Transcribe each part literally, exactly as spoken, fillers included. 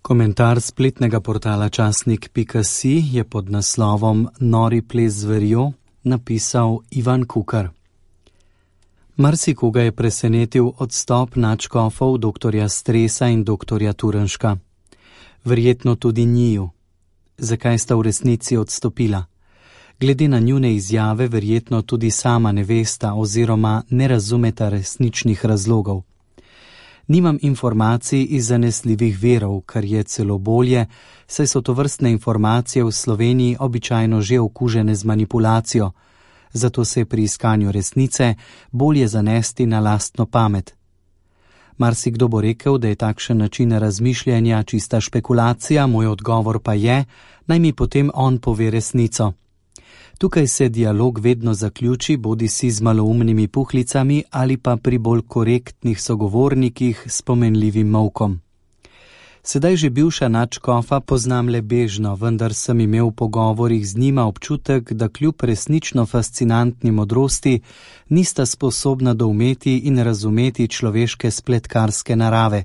Komentar spletnega portala časnik pika si je pod naslovom Nori ples zverjo napisal Ivan Kukar. Marsikoga je presenetil odstop nadškofov doktorja Stresa in doktorja Turnška. Verjetno tudi njiju. Zakaj sta v resnici odstopila? Glede na njune izjave verjetno tudi sama ne vesta oziroma ne razumeta resničnih razlogov. Nimam informacij iz zanesljivih virov, kar je celo bolje, saj so tovrstne informacije v Sloveniji običajno že okužene z manipulacijo, zato se je pri iskanju resnice bolje zanesti na lastno pamet. Marsikdo bo rekel, da je takšen način razmišljanja čista špekulacija, moj odgovor pa je, naj mi potem on pove resnico. Tukaj se dialog vedno zaključi, bodi si z maloumnimi puhlicami ali pa pri bolj korektnih sogovornikih s pomenljivim molkom. Sedaj že bivša nadškofa poznam le bežno, vendar sem imel v pogovorih z njima občutek, da kljub resnično fascinantni modrosti nista sposobna doumeti in razumeti človeške spletkarske narave.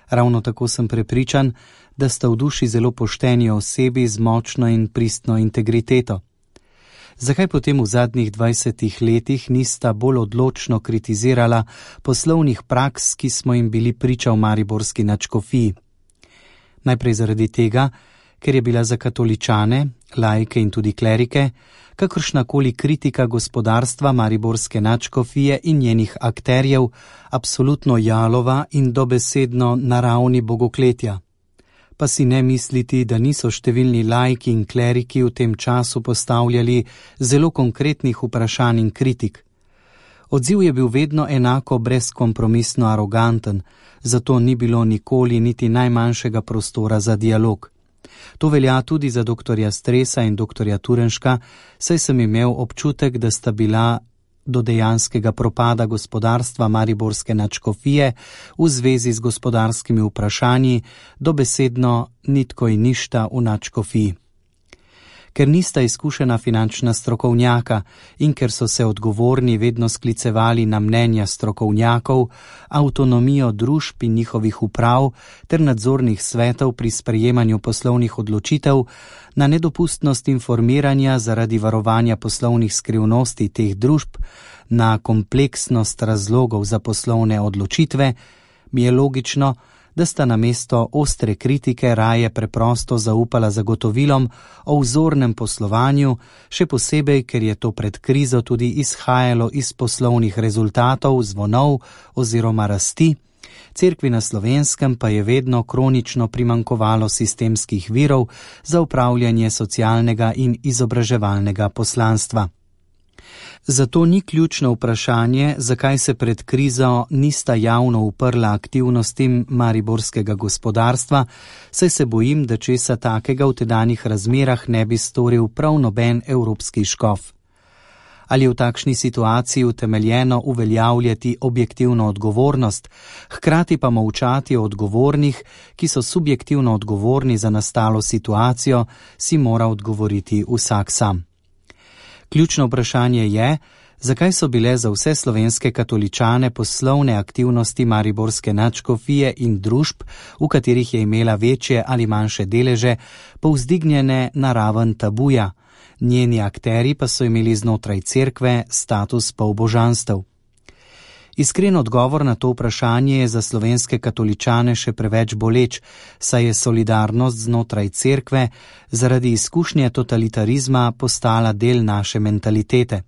Ravno tako sem prepričan, da sta v duši zelo pošteni osebi z močno in pristno integriteto. Zakaj potem v zadnjih dvajsetih letih nista bolj odločno kritizirala poslovnih praks, ki smo jim bili priča v mariborski nadškofiji? Najprej zaradi tega, ker je bila za katoličane, laike in tudi klerike, kakršnakoli kritika gospodarstva mariborske nadškofije in njenih akterjev absolutno jalova in dobesedno na ravni bogokletja. Pa si ne misliti, da niso številni laiki in kleriki v tem času postavljali zelo konkretnih vprašanj in kritik. Odziv je bil vedno enako brezkompromisno aroganten, zato ni bilo nikoli niti najmanjšega prostora za dialog. To velja tudi za doktorja Stresa in doktorja Turnška, saj sem imel občutek, da sta bila do dejanskega propada gospodarstva mariborske nadškofije v zvezi z gospodarskimi vprašanji dobesedno nitko in ništa v nadškofiji. Ker nista izkušena finančna strokovnjaka in ker so se odgovorni vedno sklicevali na mnenja strokovnjakov, avtonomijo družb in njihovih uprav ter nadzornih svetov pri sprejemanju poslovnih odločitev, na nedopustnost informiranja zaradi varovanja poslovnih skrivnosti teh družb, na kompleksnost razlogov za poslovne odločitve, mi je logično, da sta namesto ostre kritike raje preprosto zaupala zagotovilom o vzornem poslovanju, še posebej, ker je to pred krizo tudi izhajalo iz poslovnih rezultatov, zvonov oziroma rasti, Cerkvi na Slovenskem pa je vedno kronično primanjkovalo sistemskih virov za upravljanje socialnega in izobraževalnega poslanstva. Zato ni ključno vprašanje, zakaj se pred krizo nista javno uprla aktivnostim mariborskega gospodarstva, saj se bojim, da česa takega v tedanjih razmerah ne bi storil prav noben evropski škof. Ali je v takšni situaciji utemeljeno uveljavljati objektivno odgovornost, hkrati pa molčati o odgovornih, ki so subjektivno odgovorni za nastalo situacijo, si mora odgovoriti vsak sam. Ključno vprašanje je, zakaj so bile za vse slovenske katoličane poslovne aktivnosti mariborske nadškofije in družb, v katerih je imela večje ali manjše deleže, povzdignjene na raven tabuja, njeni akteri pa so imeli znotraj cerkve status polbožanstev. Iskren odgovor na to vprašanje je za slovenske katoličane še preveč boleč, saj je solidarnost znotraj cerkve zaradi izkušnje totalitarizma postala del naše mentalitete.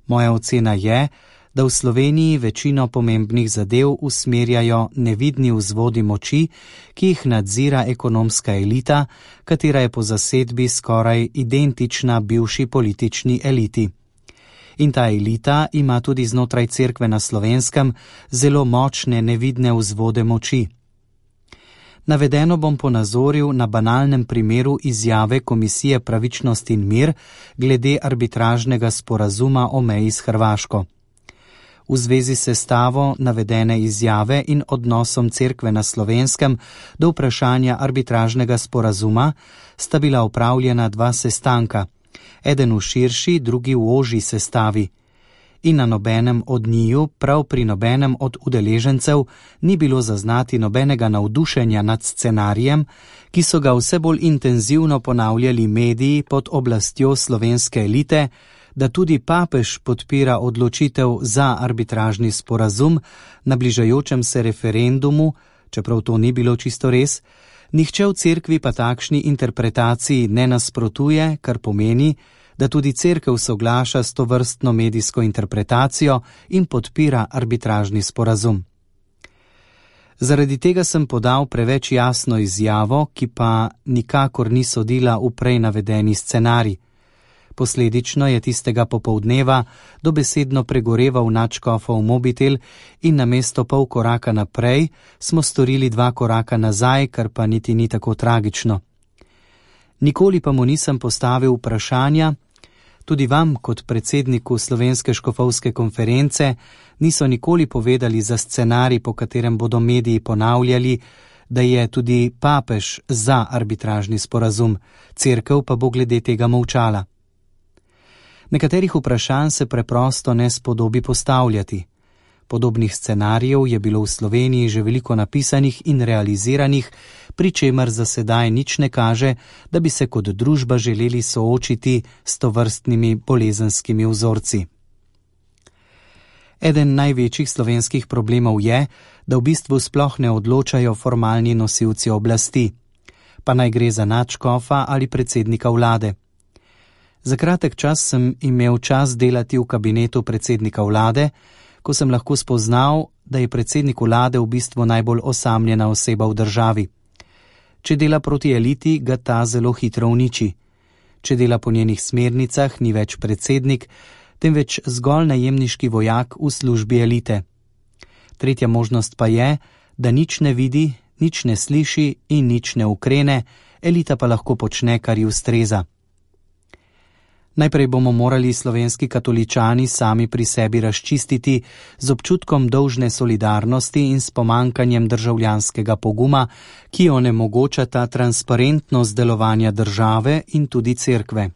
Moja ocena je, da v Sloveniji večino pomembnih zadev usmerjajo nevidni vzvodi moči, ki jih nadzira ekonomska elita, katera je po zasedbi skoraj identična bivši politični eliti. In ta elita ima tudi znotraj cerkve na Slovenskem zelo močne nevidne vzvode moči. Navedeno bom ponazoril na banalnem primeru izjave Komisije Pravičnost in mir glede arbitražnega sporazuma o meji s Hrvaško. V zvezi s sestavo navedene izjave in odnosom cerkve na Slovenskem do vprašanja arbitražnega sporazuma sta bila opravljena dva sestanka, eden v širši, drugi v ožji sestavi. in na nobenem od njiju, prav pri nobenem od udeležencev, ni bilo zaznati nobenega navdušenja nad scenarijem, ki so ga vse bolj intenzivno ponavljali mediji pod oblastjo slovenske elite, da tudi papež podpira odločitev za arbitražni sporazum na bližajočem se referendumu, čeprav to ni bilo čisto res. Nihče v cerkvi pa takšni interpretaciji ne nasprotuje, kar pomeni, da tudi cerkev soglaša s tovrstno medijsko interpretacijo in podpira arbitražni sporazum. Zaradi tega sem podal preveč jasno izjavo, ki pa nikakor ni sodila v prej navedeni scenarij. Posledično je tistega popoldneva dobesedno pregoreval nadškofov mobitel in namesto pol koraka naprej smo storili dva koraka nazaj, kar pa niti ni tako tragično. Nikoli pa mu nisem postavil vprašanja, tudi vam kot predsedniku Slovenske škofovske konference niso nikoli povedali za scenarij, po katerem bodo mediji ponavljali, da je tudi papež za arbitražni sporazum, cerkev pa bo glede tega molčala. Nekaterih vprašanj se preprosto ne spodobi postavljati. Podobnih scenarijev je bilo v Sloveniji že veliko napisanih in realiziranih, pri čemer za sedaj nič ne kaže, da bi se kot družba želeli soočiti s tovrstnimi bolezenskimi vzorci. Eden največjih slovenskih problemov je, da v bistvu sploh ne odločajo formalni nosilci oblasti, pa naj gre za nadškofa ali predsednika vlade. Za kratek čas sem imel čas delati v kabinetu predsednika vlade, ko sem lahko spoznal, da je predsednik vlade v bistvu najbolj osamljena oseba v državi. Če dela proti eliti, ga ta zelo hitro uniči. Če dela po njenih smernicah, ni več predsednik, temveč zgolj najemniški vojak v službi elite. Tretja možnost pa je, da nič ne vidi, nič ne sliši in nič ne ukrene, elita pa lahko počne, kar ji ustreza. Najprej bomo morali slovenski katoličani sami pri sebi razčistiti z občutkom dolžne solidarnosti in s pomankanjem državljanskega poguma, ki onemogočata transparentnost delovanja države in tudi cerkve.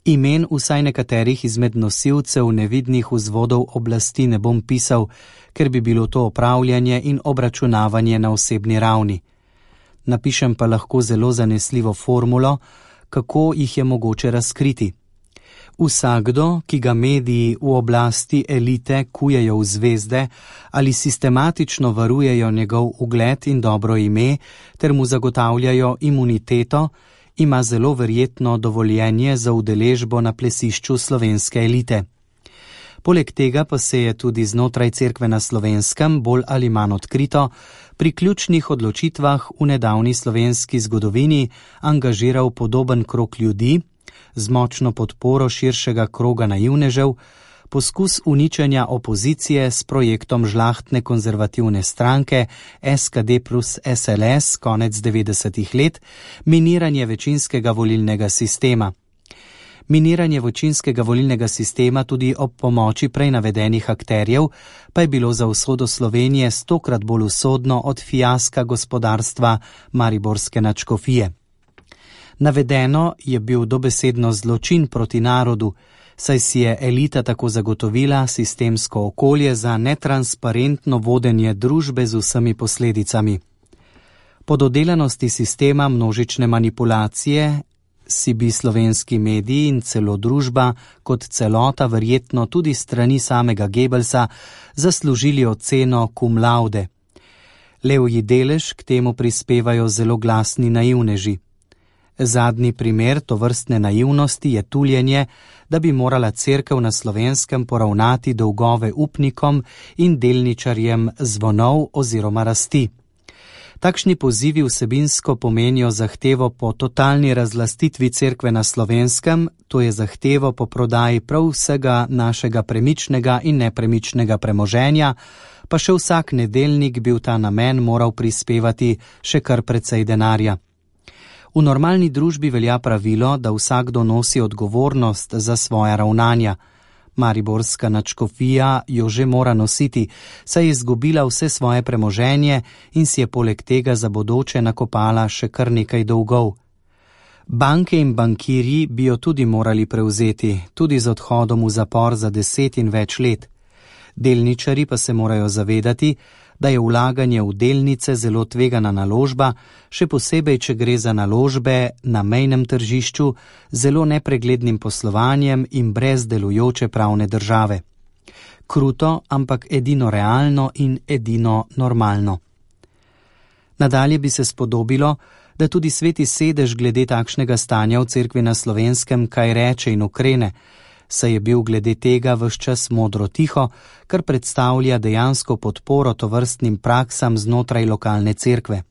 Imen vsaj nekaterih izmed nosilcev nevidnih vzvodov oblasti ne bom pisal, ker bi bilo to opravljanje in obračunavanje na osebni ravni. Napišem pa lahko zelo zanesljivo formulo, kako jih je mogoče razkriti. Vsakdo, ki ga mediji v oblasti elite kujejo v zvezde ali sistematično varujejo njegov ugled in dobro ime ter mu zagotavljajo imuniteto, ima zelo verjetno dovoljenje za udeležbo na plesišču slovenske elite. Poleg tega pa se je tudi znotraj cerkve na Slovenskem bolj ali manj odkrito pri ključnih odločitvah v nedavni slovenski zgodovini angažiral podoben krog ljudi z močno podporo širšega kroga naivnežev, poskus uničenja opozicije s projektom žlahtne konzervativne stranke S K D plus S L S konec devetdesetih let, miniranje večinskega volilnega sistema. Miniranje večinskega volilnega sistema tudi ob pomoči prej navedenih akterjev pa je bilo za usodo Slovenije stokrat bolj usodno od fiaska gospodarstva mariborske nadškofije. Navedeno je bil dobesedno zločin proti narodu, saj si je elita tako zagotovila sistemsko okolje za netransparentno vodenje družbe z vsemi posledicami. Po dodelanosti sistema množične manipulacije si bi slovenski mediji in celo družba kot celota verjetno tudi strani samega Goebbelsa zaslužili oceno cum laude. Levji delež k temu prispevajo zelo glasni naivneži. Zadnji primer tovrstne naivnosti je tuljenje, da bi morala cerkev na Slovenskem poravnati dolgove upnikom in delničarjem zvonov oziroma rasti. Takšni pozivi vsebinsko pomenijo zahtevo po totalni razlastitvi cerkve na Slovenskem, to je zahtevo po prodaji prav vsega našega premičnega in nepremičnega premoženja, pa še vsak nedeljnik bi v ta namen moral prispevati še kar precej denarja. V normalni družbi velja pravilo, da vsakdo nosi odgovornost za svoja ravnanja. Mariborska nadškofija jo že mora nositi, saj je izgubila vse svoje premoženje in si je poleg tega za bodoče nakopala še kar nekaj dolgov. Banke in bankirji bi jo tudi morali prevzeti, tudi z odhodom v zapor za deset in več let. Delničarji pa se morajo zavedati, da je vlaganje v delnice zelo tvegana naložba, še posebej, če gre za naložbe na mejnem tržišču, zelo nepreglednim poslovanjem in brez delujoče pravne države. Kruto, ampak edino realno in edino normalno. Nadalje bi se spodobilo, da tudi Sveti sedež glede takšnega stanja v Cerkvi na Slovenskem kaj reče in ukrene, saj je bil glede tega ves čas modro tiho, kar predstavlja dejansko podporo tovrstnim praksam znotraj lokalne cerkve.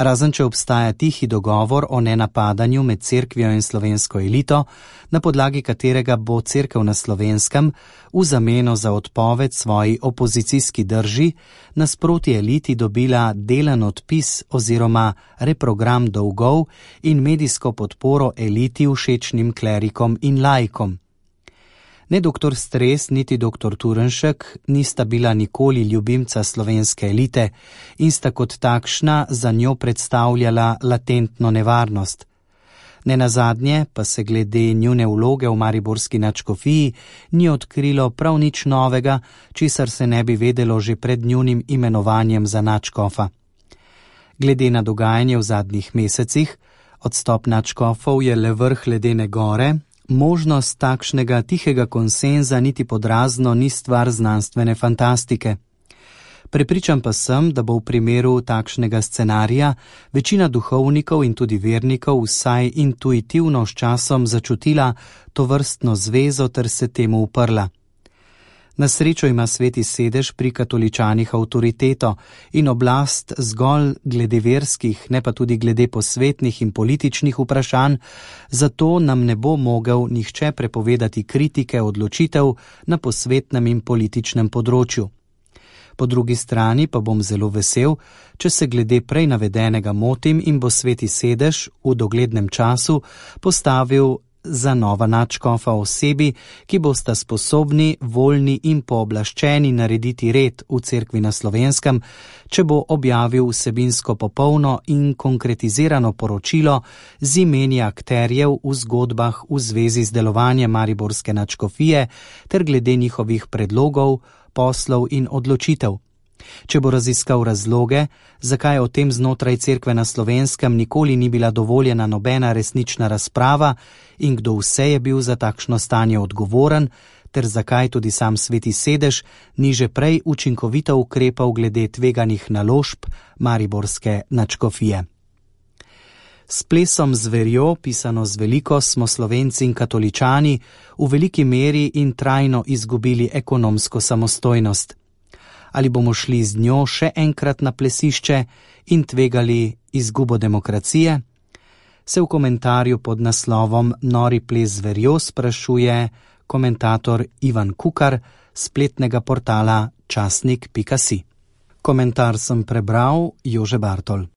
Razen če obstaja tihi dogovor o nenapadanju med cerkvijo in slovensko elito, na podlagi katerega bo Cerkev na Slovenskem v zameno za odpoved svoji opozicijski drži nasproti eliti dobila delen odpis oziroma reprogram dolgov in medijsko podporo eliti všečnim klerikom in laikom. Ne doktor Stres, niti doktor Turnšek nista bila nikoli ljubimca slovenske elite in sta kot takšna za njo predstavljala latentno nevarnost. Nenazadnje pa se glede njune vloge v mariborski nadškofiji ni odkrilo prav nič novega, česar se ne bi vedelo že pred njunim imenovanjem za nadškofa. Glede na dogajanje v zadnjih mesecih, odstop nadškofov je le vrh ledene gore, možnost takšnega tihega konsenza niti podrazno ni stvar znanstvene fantastike. Prepričan pa sem, da bo v primeru takšnega scenarija večina duhovnikov in tudi vernikov vsaj intuitivno s časom začutila tovrstno zvezo ter se temu uprla. Na srečo ima Sveti sedež pri katoličanih avtoriteto in oblast zgolj glede verskih, ne pa tudi glede posvetnih in političnih vprašanj, zato nam ne bo mogel nihče prepovedati kritike odločitev na posvetnem in političnem področju. Po drugi strani pa bom zelo vesel, če se glede prej navedenega motim in bo Sveti sedež v doglednem času postavil za nova nadškofa osebi, ki bosta sposobni, voljni in pooblaščeni narediti red v Cerkvi na Slovenskem, če bo objavil vsebinsko popolno in konkretizirano poročilo z imeni akterjev v zgodbah v zvezi z delovanjem mariborske nadškofije ter glede njihovih predlogov, poslov in odločitev. Če bo raziskal razloge, zakaj o tem znotraj Cerkve na Slovenskem nikoli ni bila dovoljena nobena resnična razprava in kdo vse je bil za takšno stanje odgovoren, ter zakaj tudi sam Sveti sedež ni že prej učinkovito ukrepal glede tveganih naložb mariborske nadškofije. S plesom zverjo, pisano z veliko, smo Slovenci in katoličani v veliki meri in trajno izgubili ekonomsko samostojnost. Ali bomo šli z njo še enkrat na plesišče in tvegali izgubo demokracije? Se v komentarju pod naslovom Nori ples zverjo sprašuje komentator Ivan Kukar, spletnega portala časnik pika si. Komentar sem prebral Jože Bartol.